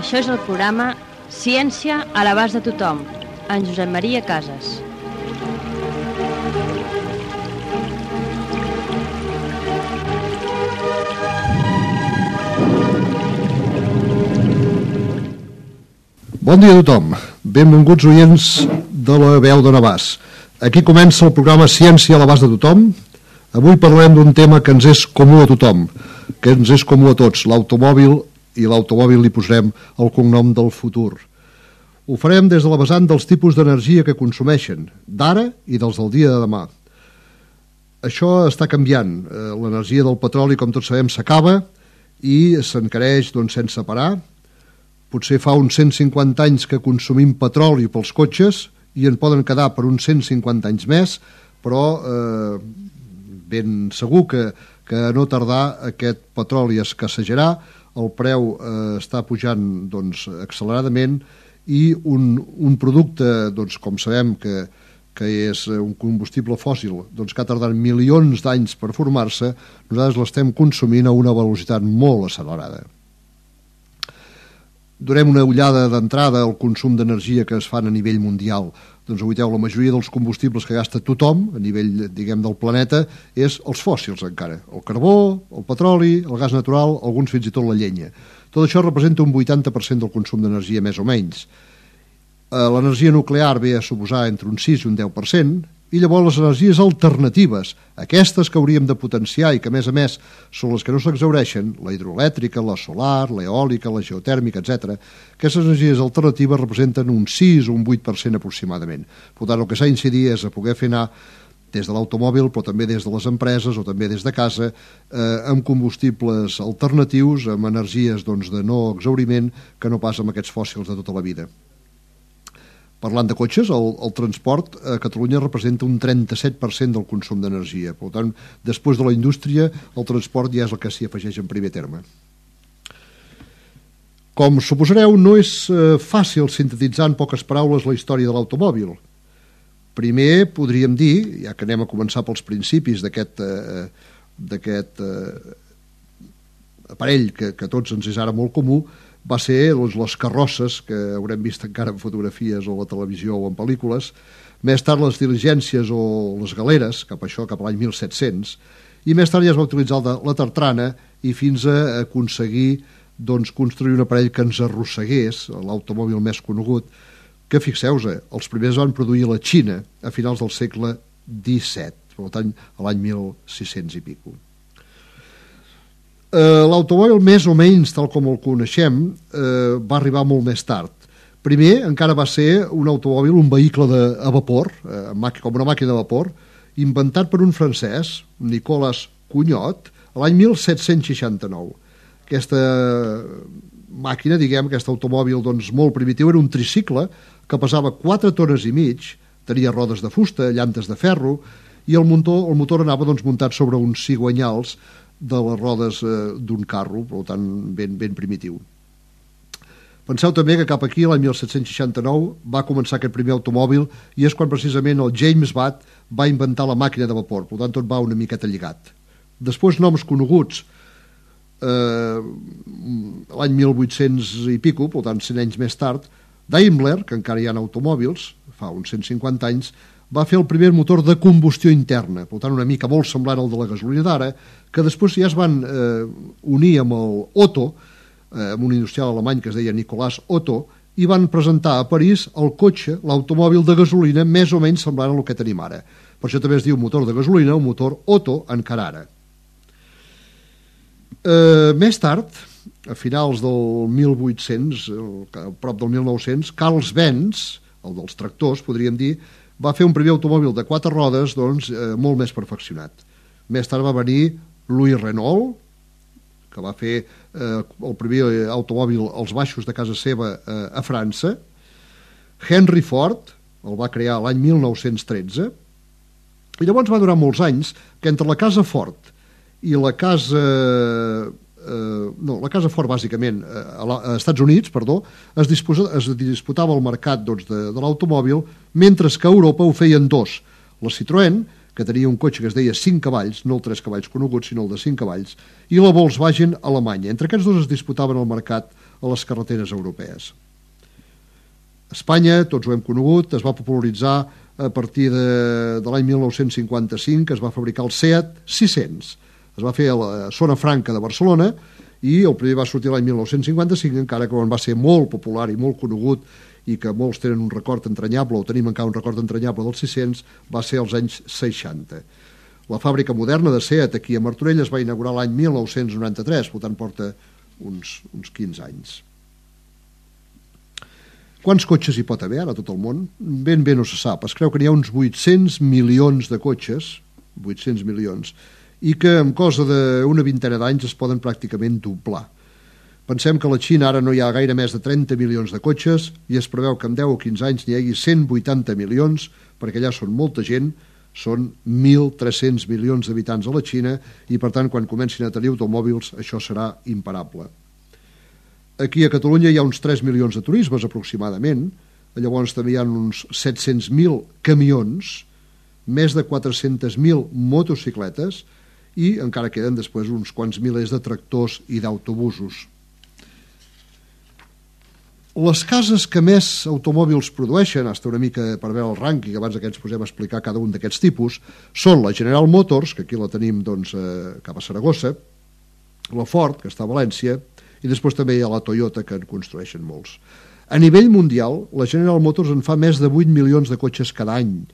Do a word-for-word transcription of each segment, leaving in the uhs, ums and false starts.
Això és el programa Ciència a l'abast de tothom, en Josep Maria Casas. Bon dia a tothom, benvinguts oients de la veu de Navàs. Aquí comença el programa Ciència a l'abast de tothom. Avui parlem d'un tema que ens és comú a tothom, que ens és comú a tots, l'automòbil, i l'automòbil li posarem el cognom del futur. Ho farem des de la vessant dels tipus d'energia que consumeixen, d'ara i dels del dia de demà. Això està canviant. L'energia del petroli, com tots sabem, s'acaba i s'encareix doncs, sense parar. Potser fa uns cent cinquanta anys que consumim petroli pels cotxes i en poden quedar per uns cent cinquanta anys més, però eh, ben segur que, que no tardar aquest petroli escassejarà, el preu eh, està pujant doncs, acceleradament i un, un producte, doncs, com sabem que, que és un combustible fòssil, doncs, que ha tardat milions d'anys per formar-se, nosaltres l'estem consumint a una velocitat molt accelerada. Donem una ullada d'entrada al consum d'energia que es fan a nivell mundial. Doncs aguaiteu, la majoria dels combustibles que gasta tothom a nivell, diguem, del planeta és els fòssils encara. El carbó, el petroli, el gas natural, alguns fins i tot la llenya. Tot això representa un vuitanta per cent del consum d'energia, més o menys. L'energia nuclear ve a suposar entre un sis i un deu per cent, i llavors les energies alternatives, aquestes que hauríem de potenciar i que a més a més són les que no s'exhaureixen, la hidroelèctrica, la solar, l'eòlica, la geotèrmica, etcètera, aquestes energies alternatives representen un sis o un vuit per cent aproximadament. Per tant, el que s'ha d'incidir és a poder fer anar des de l'automòbil, però també des de les empreses o també des de casa, eh, amb combustibles alternatius, amb energies doncs, de no exhauriment, que no pas amb aquests fòssils de tota la vida. Parlant de cotxes, el, el transport a Catalunya representa un trenta-set per cent del consum d'energia. Per tant, després de la indústria, el transport ja és el que s'hi afegeix en primer terme. Com suposareu, no és eh, fàcil sintetitzar en poques paraules la història de l'automòbil. Primer, podríem dir, ja que anem a començar pels principis d'aquest eh, d'aquest eh, aparell que, que a tots ens és ara molt comú, va ser doncs, les carrosses, que haurem vist encara en fotografies o a la televisió o en pel·lícules, més tard les diligències o les galeres, cap a això, cap a l'any mil set-cents, i més tard ja es va utilitzar la tartrana i fins a aconseguir doncs, construir un aparell que ens arrossegués, l'automòbil més conegut, que fixeu-vos, els primers van produir a la Xina a finals del segle disset, per tant, a l'any mil sis-cents i pico. Uh, l'automòbil més o menys tal com el coneixem uh, va arribar molt més tard. Primer encara va ser un automòbil, un vehicle de, a vapor, uh, com una màquina de vapor, inventat per un francès, Nicolas Cugnot, l'any mil set-cents seixanta-nou. Aquesta màquina, diguem, aquest automòbil doncs, molt primitiu, era un tricicle que pesava quatre tones i mig, tenia rodes de fusta, llantes de ferro, i el motor, el motor anava doncs, muntat sobre uns cigüanyals de les rodes eh, d'un carro, per tant, ben, ben primitiu. Penseu també que cap aquí, l'any mil set-cents seixanta-nou, va començar aquest primer automòbil i és quan precisament el James Watt va inventar la màquina de vapor, per tant, tot va una miqueta lligat. Després, noms coneguts, eh, l'any mil vuit-cents i pico, per tant, cent anys més tard, Daimler, que encara hi ha automòbils, fa uns cent cinquanta anys, va fer el primer motor de combustió interna, per tant una mica molt semblant al de la gasolina d'ara, que després ja es van eh, unir amb el Otto, eh, amb un industrial alemany que es deia Nicolas Otto, i van presentar a París el cotxe, l'automòbil de gasolina, més o menys semblant al que tenim ara. Per això també es diu motor de gasolina, un motor Otto encara ara. Eh, més tard, a finals del mil vuit-cents, a prop del mil nou-cents, Carl Benz, el dels tractors, podríem dir, va fer un primer automòbil de quatre rodes doncs, eh, molt més perfeccionat. Més tard va venir Louis Renault, que va fer eh, el primer automòbil als baixos de casa seva eh, a França. Henry Ford el va crear l'any mil nou-cents tretze. I llavors va durar molts anys que entre la casa Ford i la casa... Eh, no, la casa Ford bàsicament eh, a, la, a Estats Units, perdó, es, disposa, es disputava el mercat doncs, de, de l'automòbil, mentre que a Europa ho feien dos, la Citroën, que tenia un cotxe que es deia cinc cavalls, no el tres cavalls coneguts, sinó el de cinc cavalls, i la Volkswagen alemanya. Entre aquests dos es disputaven el mercat a les carreteres europees. Espanya, tots ho hem conegut, es va popularitzar a partir de, de l'any mil nou-cents cinquanta-cinc, que es va fabricar el Seat sis-cents. Es va fer a la zona franca de Barcelona i el primer va sortir l'any mil nou-cents cinquanta-cinc, encara que quan va ser molt popular i molt conegut i que molts tenen un record entranyable, o tenim encara un record entranyable del sis-cents, va ser als anys seixanta. La fàbrica moderna de Seat aquí a Martorell es va inaugurar l'any mil nou-cents noranta-tres, per tant porta uns, uns quinze anys. Quants cotxes hi pot haver ara a tot el món? Ben bé no se sap. Es creu que n'hi ha uns vuit-cents milions de cotxes, vuit-cents milions, i que en cosa d'una vintena d'anys es poden pràcticament doblar. Pensem que a la Xina ara no hi ha gaire més de trenta milions de cotxes i es preveu que en deu o quinze anys n'hi hagi cent vuitanta milions, perquè allà són molta gent, són mil tres-cents milions d'habitants a la Xina i per tant quan comencin a tenir automòbils això serà imparable. Aquí a Catalunya hi ha uns tres milions de turismes aproximadament, llavors també hi ha uns set-cents mil camions, més de quatre-cents mil motocicletes i encara queden després uns quants milers de tractors i d'autobusos. Les cases que més automòbils produeixen, hasta una mica per veure el rànquing, abans que ens posem a explicar cada un d'aquests tipus, són la General Motors, que aquí la tenim doncs, eh, cap a Saragossa, la Ford, que està a València, i després també hi ha la Toyota, que en construeixen molts. A nivell mundial, la General Motors en fa més de vuit milions de cotxes cada any,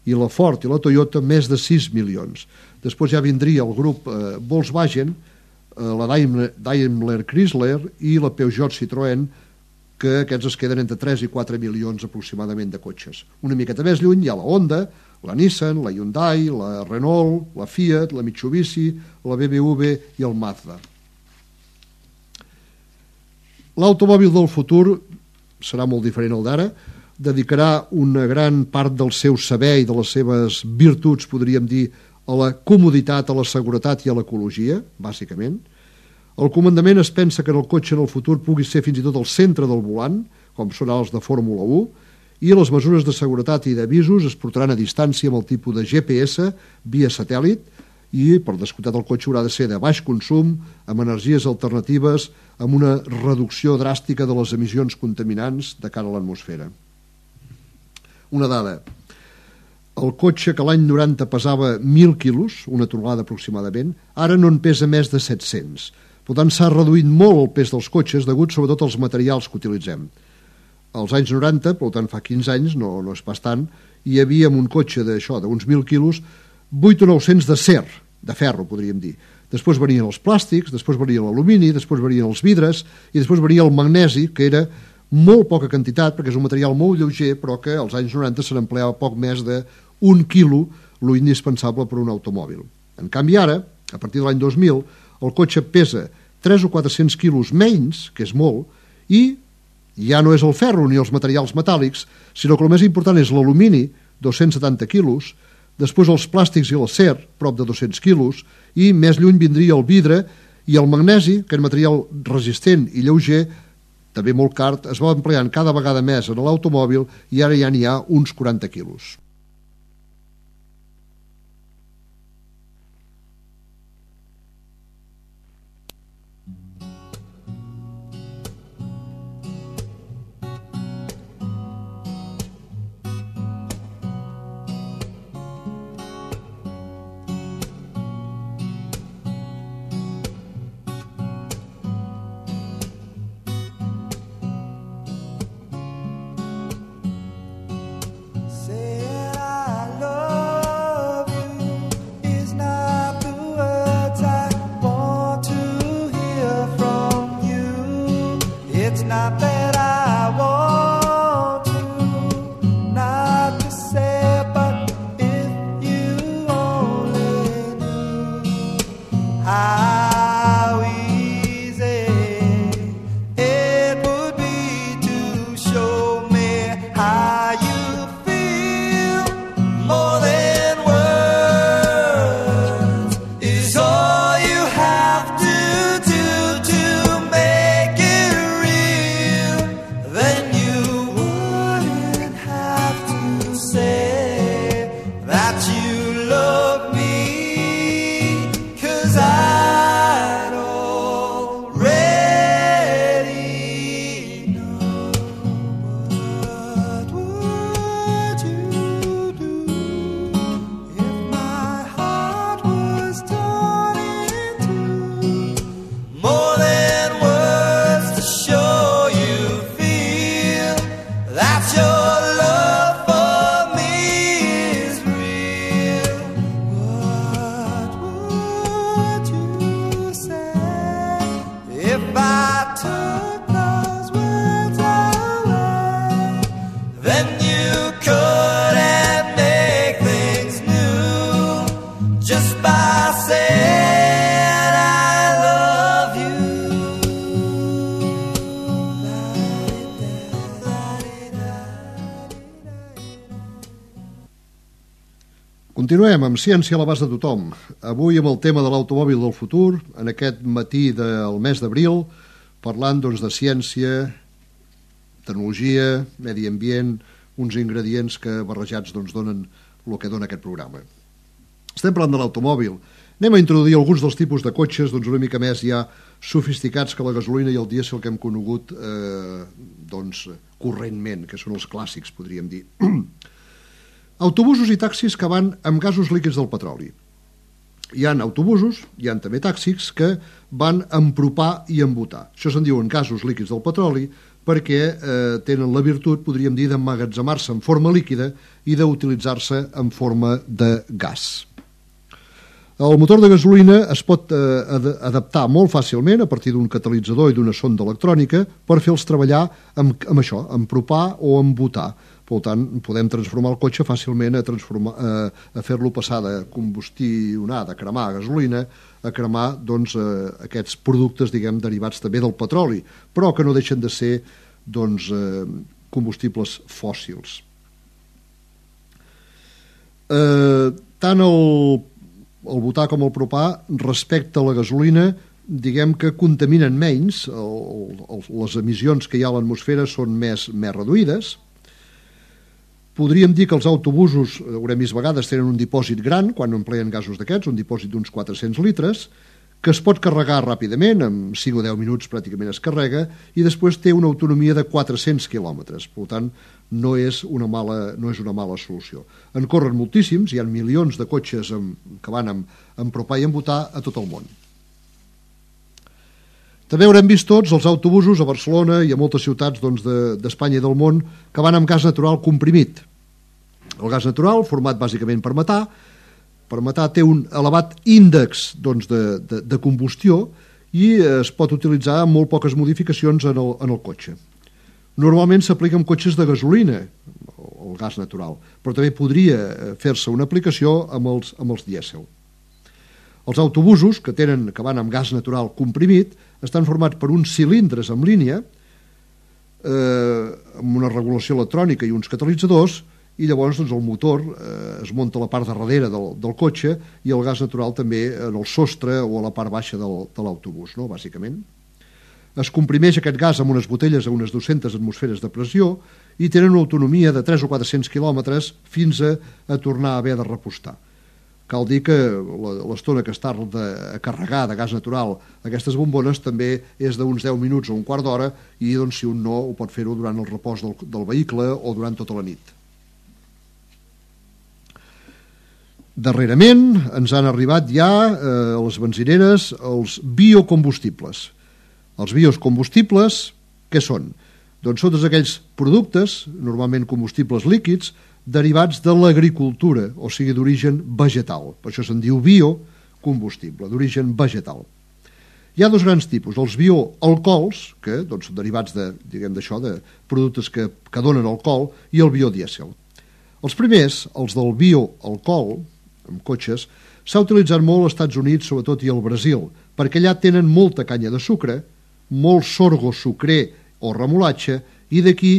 i la Ford i la Toyota més de sis milions. Després ja vindria el grup eh, Volkswagen, eh, la Daimler, Daimler Chrysler i la Peugeot Citroën, que aquests es queden entre tres i quatre milions aproximadament de cotxes. Una miqueta més lluny hi ha la Honda, la Nissan, la Hyundai, la Renault, la Fiat, la Mitsubishi, la B M W i el Mazda. L'automòbil del futur serà molt diferent al d'ara, dedicarà una gran part del seu saber i de les seves virtuts, podríem dir, a la comoditat, a la seguretat i a l'ecologia, bàsicament. El comandament es pensa que en el cotxe en el futur pugui ser fins i tot el centre del volant, com són els de Fórmula u, i les mesures de seguretat i d'avisos es portaran a distància amb el tipus de G P S via satèl·lit i, per descomptat, el cotxe haurà de ser de baix consum, amb energies alternatives, amb una reducció dràstica de les emissions contaminants de cara a l'atmosfera. Una dada. El cotxe que l'any noranta pesava mil quilos, una tonelada aproximadament, ara no en pesa més de set-cents. Per tant, s'ha reduït molt el pes dels cotxes degut sobretot als materials que utilitzem. Als anys noranta, per tant fa quinze anys, no, no és pas tant, hi havia un cotxe d'això, d'uns mil quilos, vuit o nou-cents d'acer, de ferro, podríem dir. Després venien els plàstics, després venia l'alumini, després venien els vidres i després venia el magnesi, que era molt poca quantitat, perquè és un material molt lleuger, però que als anys noranta se n'empleava poc més d'un quilo, lo indispensable per un automòbil. En canvi ara, a partir de l'any dos mil, el cotxe pesa tres o quatre-cents quilos menys, que és molt, i ja no és el ferro ni els materials metàl·lics, sinó que el més important és l'alumini, dos-cents setanta quilos, després els plàstics i l'acer, prop de dos-cents quilos, i més lluny vindria el vidre i el magnesi, que és material resistent i lleuger, també molt car, es va empleant cada vegada més en l'automòbil i ara ja n'hi ha uns quaranta quilos. Say Continuem amb Ciència a l'abast de tothom. Avui amb el tema de l'automòbil del futur, en aquest matí del mes d'abril, parlant doncs, de ciència, tecnologia, medi ambient, uns ingredients que barrejats doncs, donen el que dona aquest programa. Estem parlant de l'automòbil. Anem a introduir alguns dels tipus de cotxes doncs, una mica més ja sofisticats que la gasolina i el dièsel que hem conegut eh, doncs, correntment, que són els clàssics, podríem dir. Autobusos i taxis que van amb gasos líquids del petroli. Hi ha autobusos, hi ha també taxis que van amb propà i amb butà. Això se'n diuen gasos líquids del petroli perquè eh, tenen la virtut, podríem dir, d'emmagatzemar-se en forma líquida i d'utilitzar-se en forma de gas. El motor de gasolina es pot eh, ad adaptar molt fàcilment a partir d'un catalitzador i d'una sonda electrònica per fer-los treballar amb, amb això, amb propà o amb butà. Per tant, podem transformar el cotxe fàcilment a, eh, a fer-lo passar de combustionar, de cremar gasolina, a cremar doncs, eh, aquests productes diguem, derivats també del petroli, però que no deixen de ser doncs, eh, combustibles fòssils. Eh, tant el, el butà com el propà, respecte a la gasolina, diguem que contaminen menys, el, el, les emissions que hi ha a l'atmosfera són més, més reduïdes. Podríem dir que els autobusos, haurem vist vegades, tenen un dipòsit gran quan empleen gasos d'aquests, un dipòsit d'uns quatre-cents litres, que es pot carregar ràpidament, en cinc o deu minuts pràcticament es carrega, i després té una autonomia de quatre-cents quilòmetres. Per tant, no és una mala, no és una mala solució. En corren moltíssims, hi ha milions de cotxes amb, que van amb, amb propà i amb butà a tot el món. També haurem vist tots els autobusos a Barcelona i a moltes ciutats doncs, d'Espanya i del món que van amb gas natural comprimit. El gas natural, format bàsicament per metà, per metà té un elevat índex doncs, de, de, de combustió i es pot utilitzar amb molt poques modificacions en el, en el cotxe. Normalment s'aplica en cotxes de gasolina, el gas natural, però també podria fer-se una aplicació amb els, amb els dièsel. Els autobusos, que, tenen, que van amb gas natural comprimit, estan formats per uns cilindres en línia, eh, amb una regulació electrònica i uns catalitzadors, i llavors doncs, el motor eh, es munta a la part de darrere del, del cotxe i el gas natural també en el sostre o a la part baixa del, de l'autobús, no? Bàsicament. Es comprimeix aquest gas amb unes botelles a unes dues-centes atmosferes de pressió i tenen una autonomia de tres o quatre-cents quilòmetres fins a, a tornar a haver de repostar. Cal dir que l'estona que està a carregar de gas natural aquestes bombones també és d'uns deu minuts o un quart d'hora i doncs, si un no ho pot fer-ho durant el repòs del, del vehicle o durant tota la nit. Darrerament ens han arribat ja eh, a les benzineres els biocombustibles. Els biocombustibles, què són? Doncs són tots aquells productes, normalment combustibles líquids, derivats de l'agricultura, o sigui, d'origen vegetal. Per això se'n diu biocombustible, d'origen vegetal. Hi ha dos grans tipus, els bioalcohols, que doncs, són derivats de, diguem d'això, de productes que, que donen alcohol, i el biodièsel. Els primers, els del bioalcohol, amb cotxes, s'ha utilitzat molt als Estats Units, sobretot, i al Brasil, perquè allà tenen molta canya de sucre, molt sorgo sucrer o remolatge, i d'aquí,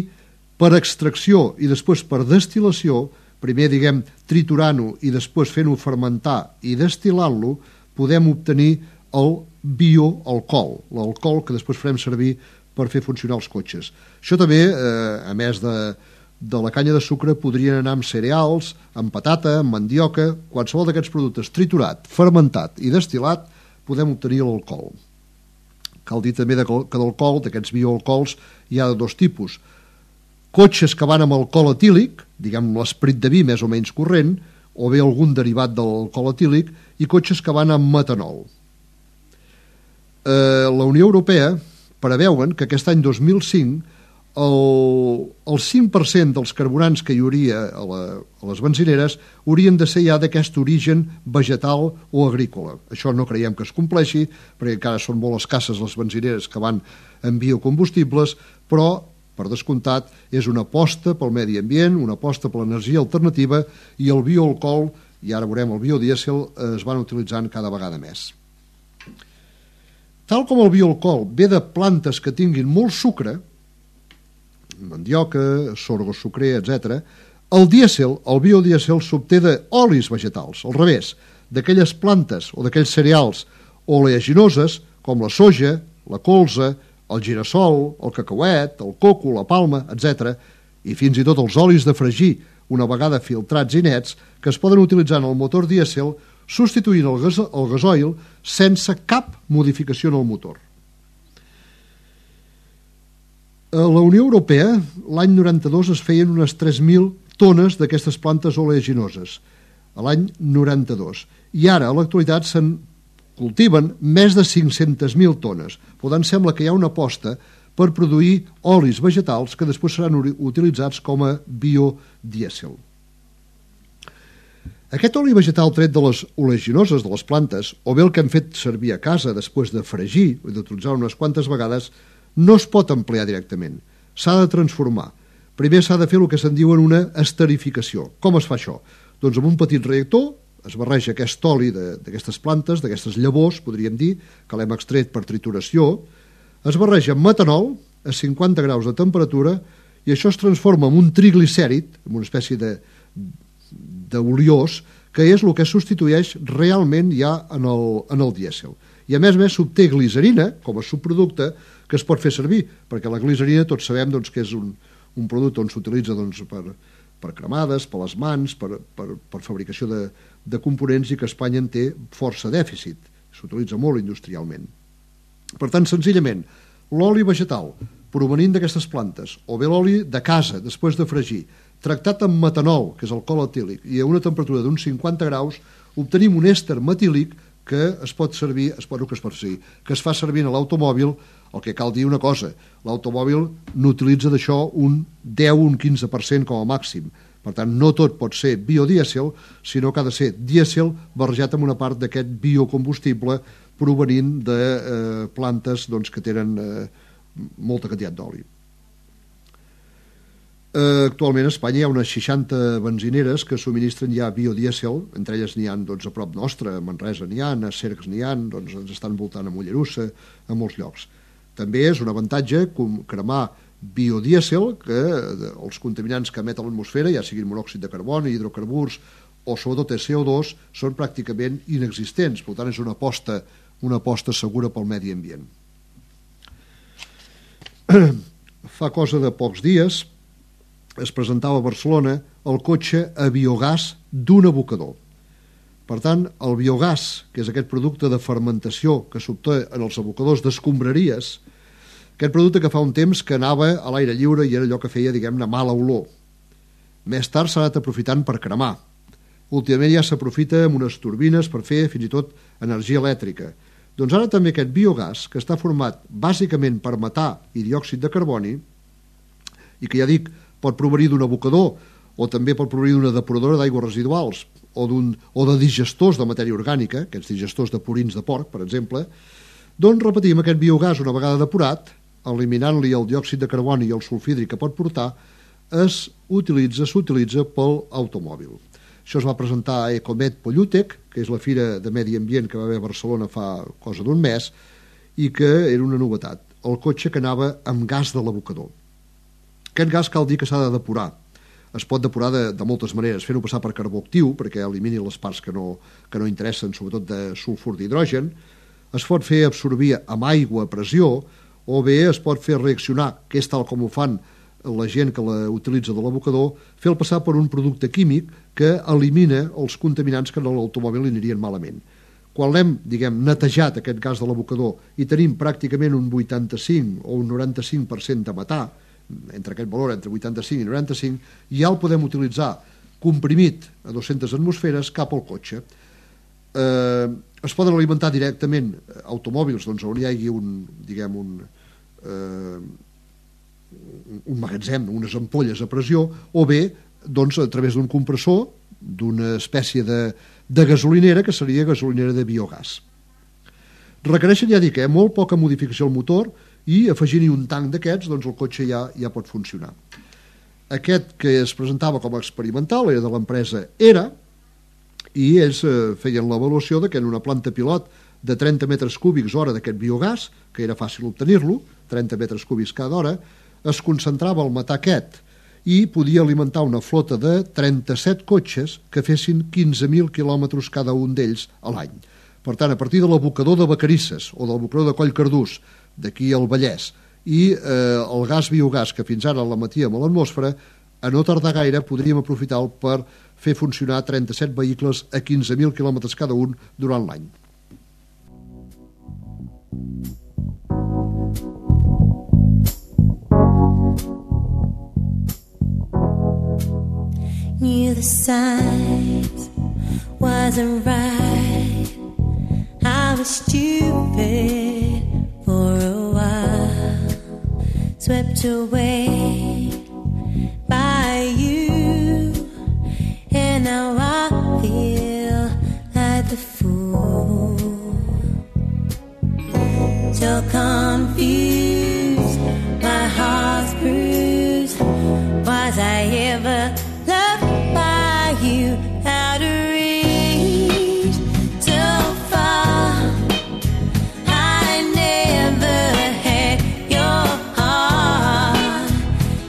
per extracció i després per destil·lació, primer, diguem, triturant-ho i després fent-ho fermentar i destil·lant-lo, podem obtenir el bioalcohol, l'alcohol que després farem servir per fer funcionar els cotxes. Això també, eh, a més de, de la canya de sucre, podrien anar amb cereals, amb patata, amb mandioca, qualsevol d'aquests productes triturat, fermentat i destil·lat, podem obtenir l'alcohol. Cal dir també que d'alcohol, d'aquests bioalcohols, hi ha de dos tipus. Cotxes que van amb alcohol etílic, diguem l'esprit de vi més o menys corrent, o bé algun derivat de l'alcohol etílic, i cotxes que van amb metanol. Eh, la Unió Europea preveuen que aquest any dos mil cinc el, el cinc per cent dels carburants que hi hauria a, la, a les benzineres haurien de ser ja d'aquest origen vegetal o agrícola. Això no creiem que es compleixi, perquè encara són molt escasses les benzineres que van amb biocombustibles, però per descomptat, és una aposta pel medi ambient, una aposta per l'energia alternativa i el bioalcohol, i ara veurem el biodièsel, es van utilitzant cada vegada més. Tal com el bioalcohol ve de plantes que tinguin molt sucre, mandioca, sorgo sucrer, etcètera, El dièsel, el biodièsel, s'obté d'olis vegetals, al revés, d'aquelles plantes o d'aquells cereals oleaginoses, com la soja, la colza, el girassol, el cacauet, el coco, la palma, etcètera, i fins i tot els olis de fregir, una vegada filtrats i nets, que es poden utilitzar en el motor dièsel substituint el, gas el gasoil sense cap modificació en el motor. A la Unió Europea, l'any noranta-dos es feien unes tres mil tones d'aquestes plantes oleaginoses, a l'any noranta-dos. I ara, a l'actualitat, se'n cultiven més de cinc-centes mil tones. Per tant, sembla que hi ha una aposta per produir olis vegetals que després seran utilitzats com a biodièsel. Aquest oli vegetal tret de les oleaginoses de les plantes, o bé el que hem fet servir a casa després de fregir o d'utilitzar unes quantes vegades, no es pot emplear directament. S'ha de transformar. Primer s'ha de fer el que se'n diuen una esterificació. Com es fa això? Doncs amb un petit reactor es barreja aquest oli d'aquestes plantes, d'aquestes llavors, podríem dir, que l'hem extret per trituració, es barreja amb metanol a cinquanta graus de temperatura i això es transforma en un triglicèrid, en una espècie d'oliós, que és el que substitueix realment ja en el, en el dièsel. I a més a més s'obté glicerina com a subproducte que es pot fer servir, perquè la glicerina tots sabem doncs, que és un, un producte on s'utilitza doncs, per, per cremades, per les mans, per, per, per fabricació de, de components i que Espanya en té força dèficit. S'utilitza molt industrialment. Per tant, senzillament, l'oli vegetal provenint d'aquestes plantes o bé l'oli de casa després de fregir, tractat amb metanol, que és alcohol etílic, i a una temperatura d'uns cinquanta graus, obtenim un èster metílic que es pot servir, es pot, que es pot servir, que es fa servir a l'automòbil. El que cal dir una cosa, l'automòbil n'utilitza d'això un deu o un quinze per cent com a màxim. Per tant, no tot pot ser biodièsel, sinó que ha de ser dièsel barrejat amb una part d'aquest biocombustible provenint de eh, plantes doncs, que tenen eh, molta quantitat d'oli. Eh, actualment a Espanya hi ha unes seixanta benzineres que subministren ja biodièsel, entre elles n'hi ha doncs, a prop nostre, a Manresa n'hi ha, a Cercs n'hi ha, doncs, ens estan voltant a Mollerussa, a molts llocs. També és un avantatge cremar biodièsel, que els contaminants que emet a l'atmosfera, ja siguin monòxid de carboni, hidrocarburs o sobretot el C O dos, són pràcticament inexistents. Per tant, és una aposta, una aposta segura pel medi ambient. Fa cosa de pocs dies es presentava a Barcelona el cotxe a biogàs d'un abocador. Per tant, el biogàs, que és aquest producte de fermentació que s'obté en els abocadors d'escombraries, aquest producte que fa un temps que anava a l'aire lliure i era allò que feia, diguem-ne, mala olor. Més tard s'ha anat aprofitant per cremar. Últimament ja s'aprofita amb unes turbines per fer fins i tot energia elèctrica. Doncs ara també aquest biogàs, que està format bàsicament per metà i diòxid de carboni, i que ja dic, pot provenir d'un abocador o també pot provenir d'una depuradora d'aigües residuals o, o de digestors de matèria orgànica, aquests digestors de purins de porc, per exemple, doncs repetim, aquest biogàs una vegada depurat, eliminant-li el diòxid de carboni i el sulfhídric que pot portar, es utilitza, s'utilitza pel automòbil. Això es va presentar a Ecomed Pollutec, que és la fira de medi ambient que va haver a Barcelona fa cosa d'un mes, i que era una novetat. El cotxe que anava amb gas de l'abocador. Aquest gas cal dir que s'ha de depurar. Es pot depurar de, de moltes maneres, fent-ho passar per carbó actiu, perquè elimini les parts que no, que no interessen, sobretot de sulfur d'hidrogen. Es pot fer absorbir amb aigua a pressió, o bé es pot fer reaccionar, que és tal com ho fan la gent que la utilitza de l'abocador, fer-lo passar per un producte químic que elimina els contaminants que en l'automòbil anirien malament. Quan l'hem, diguem, netejat aquest gas de l'abocador i tenim pràcticament un vuitanta-cinc o un noranta-cinc per cent de metà, entre aquest valor, entre vuitanta-cinc i noranta-cinc, ja el podem utilitzar comprimit a dues-centes atmosferes cap al cotxe. Eh, es poden alimentar directament automòbils doncs, on hi hagi un, diguem, un, eh, un magatzem, unes ampolles a pressió, o bé doncs, a través d'un compressor, d'una espècie de, de gasolinera, que seria gasolinera de biogàs. Requereixen, ja dic, eh, molt poca modificació al motor, i afegint-hi un tanc d'aquests, doncs el cotxe ja, ja pot funcionar. Aquest que es presentava com a experimental era de l'empresa ERA, i ells eh, feien l'avaluació de que en una planta pilot de trenta metres cúbics hora d'aquest biogàs, que era fàcil obtenir-lo, trenta metres cúbics cada hora, es concentrava el metà aquest, i podia alimentar una flota de trenta-set cotxes que fessin quinze mil quilòmetres cada un d'ells a l'any. Per tant, a partir de l'abocador de Vacarisses o del abocador de Collcardús, d'aquí al Vallès, i eh, el gas biogàs que fins ara l'emetíem a l'atmosfera, a no tardar gaire podríem aprofitar-lo per fer funcionar trenta-set vehicles a quinze mil quilòmetres cada un durant l'any. Knew the signs wasn't right. I was stupid for a while, swept away by you, and now I feel like the fool. So confused, my heart's bruised. Was I ever loved by you? Out of reach, so far. I never had your heart.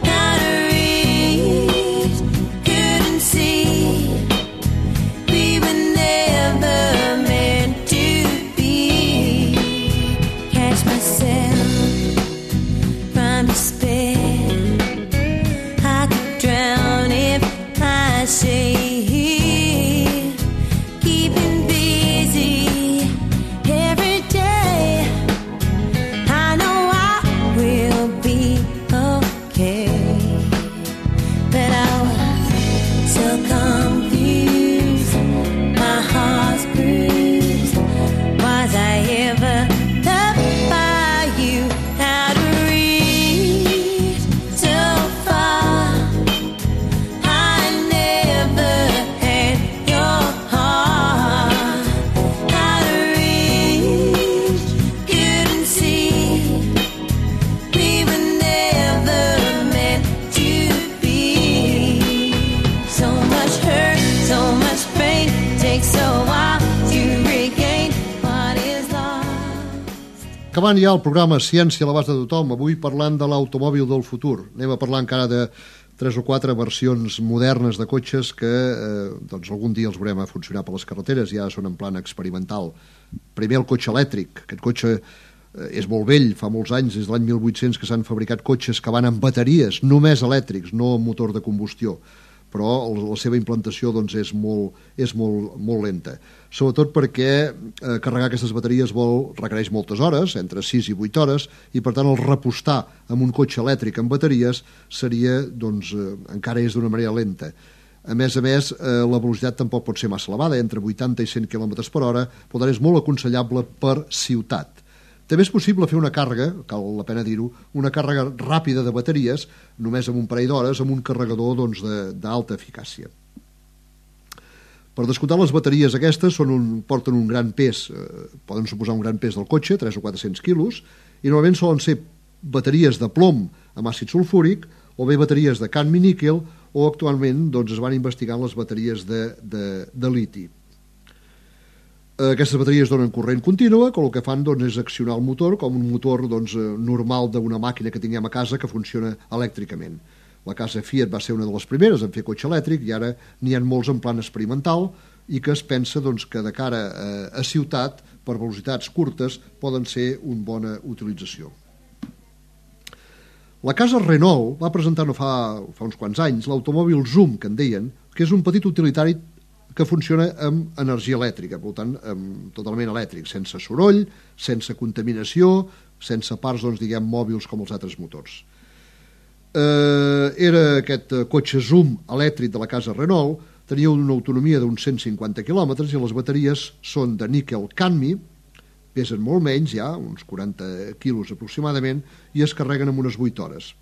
Out of reach, couldn't see. We were never meant to be. Catch myself from despair. I could drown if I say, keeping busy every day. I know I will be okay, but I was so confused, my heart's bruised. Was I ever loved by you? Out of reach, so far. I never had your heart. Out of reach, couldn't see. We were never meant to be. So much hurt, so much pain. Takes a while to regain what is lost. Acabant ja el programa Ciència a l'abast de tothom, avui parlant de l'automòbil del futur. Anem a parlar encara de tres o quatre versions modernes de cotxes que eh, doncs algun dia els veurem a funcionar per les carreteres, ja són en plan experimental. Primer el cotxe elèctric. Aquest cotxe eh, és molt vell, fa molts anys, des de l'any mil vuit-cents que s'han fabricat cotxes que van amb bateries, només elèctrics, no amb motor de combustió, però la seva implantació doncs, és, molt, és molt, molt lenta. Sobretot perquè eh, carregar aquestes bateries vol, requereix moltes hores, entre sis i vuit hores, i per tant el repostar amb un cotxe elèctric amb bateries seria, doncs, eh, encara és d'una manera lenta. A més a més, eh, la velocitat tampoc pot ser massa elevada, entre vuitanta i cent quilòmetres per hora, per tant és molt aconsellable per ciutat. També és possible fer una càrrega, cal la pena dir-ho, una càrrega ràpida de bateries, només amb un parell d'hores, amb un carregador doncs, d'alta eficàcia. Per descomptar, les bateries aquestes són un, porten un gran pes, eh, poden suposar un gran pes del cotxe, tres o quatre-cents quilos, i normalment solen ser bateries de plom amb àcid sulfúric, o bé bateries de cadmi-níquel, o actualment doncs, es van investigant les bateries de, de, de liti. Aquestes bateries donen corrent contínua, que el que fan doncs, és accionar el motor com un motor doncs, normal d'una màquina que tinguem a casa que funciona elèctricament. La casa Fiat va ser una de les primeres en fer cotxe elèctric i ara n'hi ha molts en plan experimental i que es pensa doncs, que de cara a, a ciutat, per velocitats curtes, poden ser una bona utilització. La casa Renault va presentar no fa, fa uns quants anys l'automòbil Zoom, que en deien, que és un petit utilitari que funciona amb energia elèctrica, per tant, amb, totalment elèctric, sense soroll, sense contaminació, sense parts, doncs, diguem, mòbils com els altres motors. Eh, era aquest cotxe Zoom elèctric de la casa Renault, tenia una autonomia d'uns cent cinquanta quilòmetres i les bateries són de níquel-cadmi, pesen molt menys, ja, uns quaranta quilos aproximadament, i es carreguen en unes vuit hores.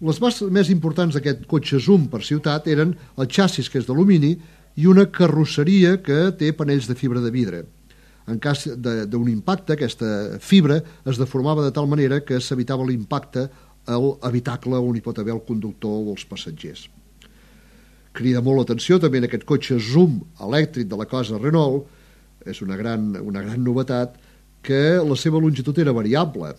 Les més importants d'aquest cotxe Zoom per ciutat eren el xassis, que és d'alumini, i una carrosseria que té panells de fibra de vidre. En cas d'un impacte, aquesta fibra es deformava de tal manera que s'evitava l'impacte a l'habitacle on hi pot haver el conductor o els passatgers. Crida molt l'atenció també en aquest cotxe Zoom elèctric de la casa Renault, és una gran, una gran novetat, que la seva longitud era variable.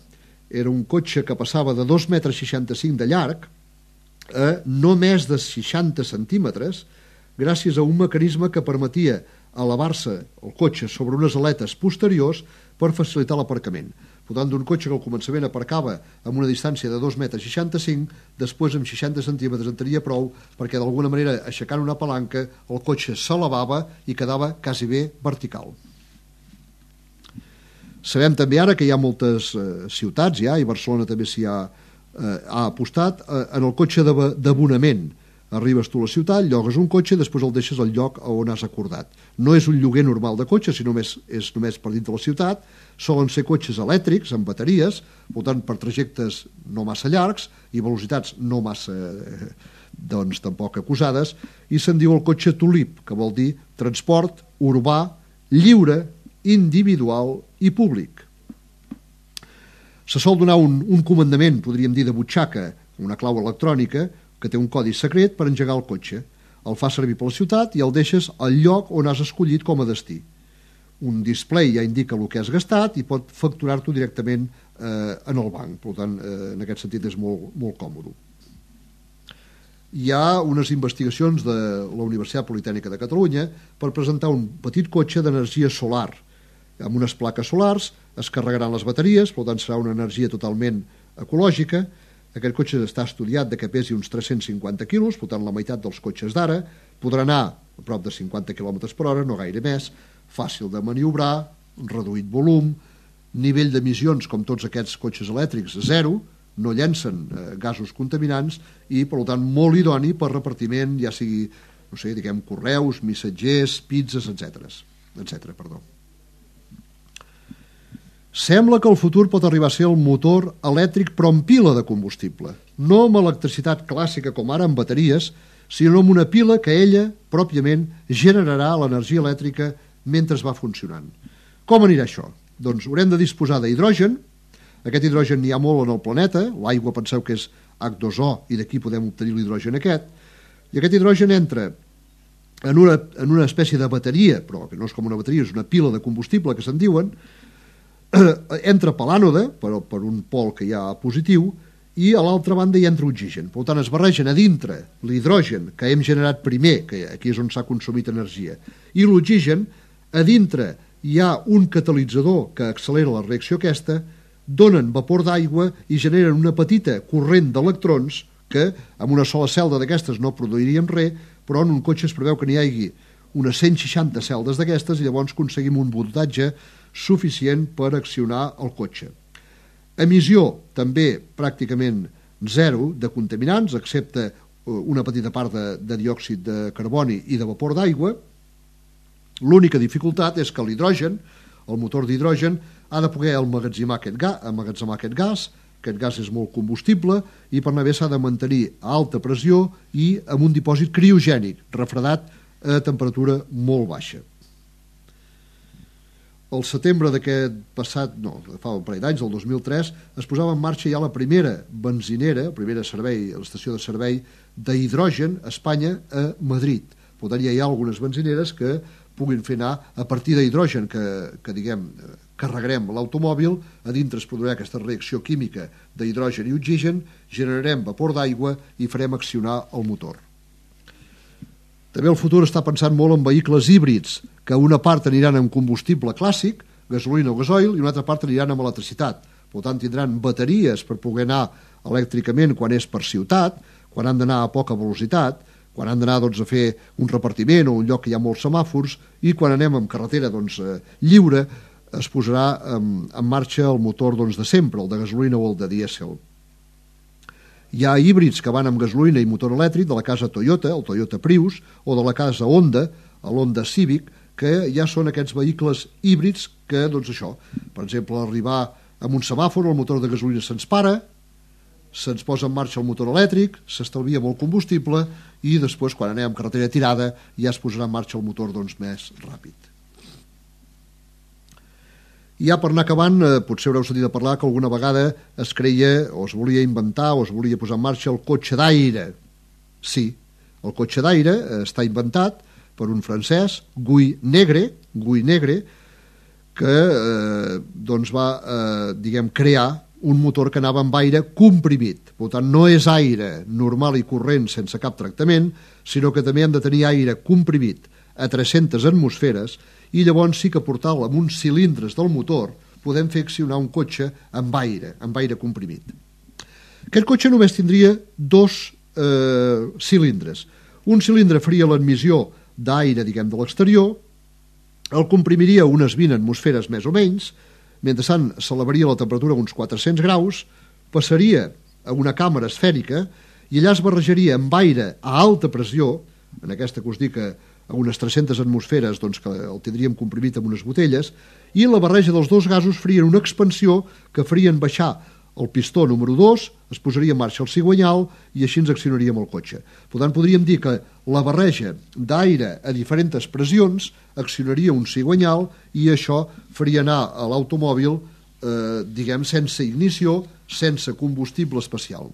Era un cotxe que passava de dos metres seixanta-cinc de llarg a no més de seixanta centímetres gràcies a un mecanisme que permetia elevar-se el cotxe sobre unes aletes posteriors per facilitar l'aparcament. Per tant, d'un cotxe que al començament aparcava amb una distància de dos metres seixanta-cinc, després amb seixanta centímetres en tenia prou perquè d'alguna manera, aixecant una palanca, el cotxe s'elevava i quedava quasi bé vertical. Sabem també ara que hi ha moltes eh, ciutats, ja, i Barcelona també s'hi ha, eh, ha apostat, eh, en el cotxe d'abonament. Arribes tu a la ciutat, llogues un cotxe i després el deixes al lloc on has acordat. No és un lloguer normal de cotxe, sinó només, és només per dintre la ciutat. Solen ser cotxes elèctrics, amb bateries, per tant, per trajectes no massa llargs i velocitats no massa, eh, doncs, tampoc acusades, i se'n diu el cotxe Tulip, que vol dir transport urbà, lliure, individual i públic. Se sol donar un, un comandament, podríem dir, de butxaca, una clau electrònica, que té un codi secret per engegar el cotxe. El fa servir per la ciutat i el deixes al lloc on has escollit com a destí. Un display ja indica el que has gastat i pot facturar-t'ho directament eh, en el banc. Per tant, eh, en aquest sentit és molt, molt còmode. Hi ha unes investigacions de la Universitat Politècnica de Catalunya per presentar un petit cotxe d'energia solar. Amb unes plaques solars es carregaran les bateries, per tant serà una energia totalment ecològica. Aquest cotxe està estudiat de que pesi uns tres-cents cinquanta quilos, per tant la meitat dels cotxes d'ara, podrà anar a prop de cinquanta quilòmetres per hora, no gaire més, fàcil de maniobrar, reduït volum, nivell d'emissions, com tots aquests cotxes elèctrics, zero, no llencen eh, gasos contaminants i, per tant, molt idoni per repartiment, ja sigui, no sé, diguem, correus, missatgers, pizzas, etcètera, etcètera, perdó. Sembla que el futur pot arribar a ser el motor elèctric però amb pila de combustible, no amb electricitat clàssica com ara amb bateries, sinó amb una pila que ella, pròpiament, generarà l'energia elèctrica mentre va funcionant. Com anirà això? Doncs haurem de disposar d'hidrogen. Aquest hidrogen n'hi ha molt en el planeta, l'aigua penseu que és hac dos o i d'aquí podem obtenir l'hidrogen aquest, i aquest hidrogen entra en una, en una espècie de bateria, però que no és com una bateria, és una pila de combustible que se'n diuen, entra per l'ànode, per, per un pol que hi ha positiu, i a l'altra banda hi entra oxigen. Per tant, es barregen a dintre l'hidrogen que hem generat primer, que aquí és on s'ha consumit energia, i l'oxigen, a dintre hi ha un catalitzador que accelera la reacció aquesta, donen vapor d'aigua i generen una petita corrent d'electrons que amb una sola celda d'aquestes no produiríem res, però en un cotxe es preveu que n'hi hagi unes cent seixanta celdes d'aquestes i llavors aconseguim un voltatge suficient per accionar el cotxe. Emissió també pràcticament zero de contaminants, excepte una petita part de, de diòxid de carboni i de vapor d'aigua. L'única dificultat és que l'hidrogen, el motor d'hidrogen, ha de poder emmagatzemar aquest, ga, emmagatzemar aquest gas, aquest gas és molt combustible i per anar bé s'ha de mantenir a alta pressió i amb un dipòsit criogènic, refredat a temperatura molt baixa. El setembre d'aquest passat, no, fa un parell d'anys, el dos mil tres, es posava en marxa ja la primera benzinera, la primera servei, l'estació de servei d'hidrogen a Espanya, a Madrid. Per tant, ja hi ha algunes benzineres que puguin fer anar a partir d'hidrogen que, que diguem, carregarem l'automòbil, a dintre es produirà aquesta reacció química d'hidrogen i oxigen, generarem vapor d'aigua i farem accionar el motor. També el futur està pensant molt en vehicles híbrids, que una part aniran amb combustible clàssic, gasolina o gasoil, i una altra part aniran amb electricitat. Per tant, tindran bateries per poder anar elèctricament quan és per ciutat, quan han d'anar a poca velocitat, quan han d'anar doncs, a fer un repartiment o un lloc que hi ha molts semàfors, i quan anem amb carretera doncs, eh, lliure, es posarà en, en marxa el motor doncs, de sempre, el de gasolina o el de dièsel. Hi ha híbrids que van amb gasolina i motor elèctric de la casa Toyota, el Toyota Prius, o de la casa Honda, l'Honda Civic, que ja són aquests vehicles híbrids que, doncs això, per exemple, arribar amb un semàfor, el motor de gasolina se'ns para, se'ns posa en marxa el motor elèctric, s'estalvia molt combustible i després, quan anem amb carretera tirada, ja es posarà en marxa el motor doncs, més ràpid. I ja per anar acabant, eh, potser haureu sentit a parlar que alguna vegada es creia o es volia inventar o es volia posar en marxa el cotxe d'aire. Sí, el cotxe d'aire està inventat per un francès, Guy Negre, Guy Negre, que eh, doncs va eh, diguem, crear un motor que anava amb aire comprimit. Per tant, no és aire normal i corrent sense cap tractament, sinó que també hem de tenir aire comprimit a tres-centes atmosferes, i llavors sí que portant-lo amb uns cilindres del motor podem fer accionar un cotxe amb aire, amb aire comprimit. Aquest cotxe només tindria dos eh, cilindres. Un cilindre faria l'admissió d'aire, diguem, de l'exterior, el comprimiria a unes vint atmosferes més o menys, mentrestant s'elevaria la temperatura a uns quatre-cents graus, passaria a una càmera esfèrica i allà es barrejaria amb aire a alta pressió, en aquesta que us dic a unes tres-centes atmosferes, doncs, que el tindríem comprimit amb unes botelles, i la barreja dels dos gasos farien una expansió que farien baixar el pistó número dos, es posaria en marxa el cigüenyal i així ens accionaríem el cotxe. Per tant, podríem dir que la barreja d'aire a diferents pressions accionaria un cigüenyal i això faria anar a l'automòbil, eh, diguem, sense ignició, sense combustible especial.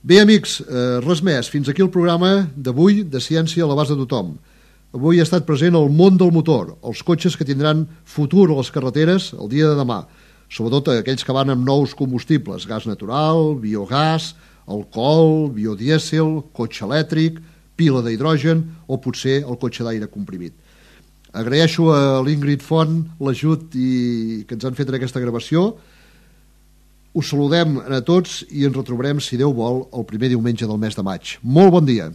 Bé, amics, eh, res més. Fins aquí el programa d'avui de Ciència a l'abast de tothom. Avui ha estat present el món del motor, els cotxes que tindran futur a les carreteres el dia de demà, sobretot aquells que van amb nous combustibles, gas natural, biogàs, alcohol, biodièsel, cotxe elèctric, pila d'hidrogen o potser el cotxe d'aire comprimit. Agraeixo a l'Ingrid Font l'ajut i que ens han fet en aquesta gravació. Us saludem a tots i ens retrobarem, si Déu vol, el primer diumenge del mes de maig. Molt bon dia!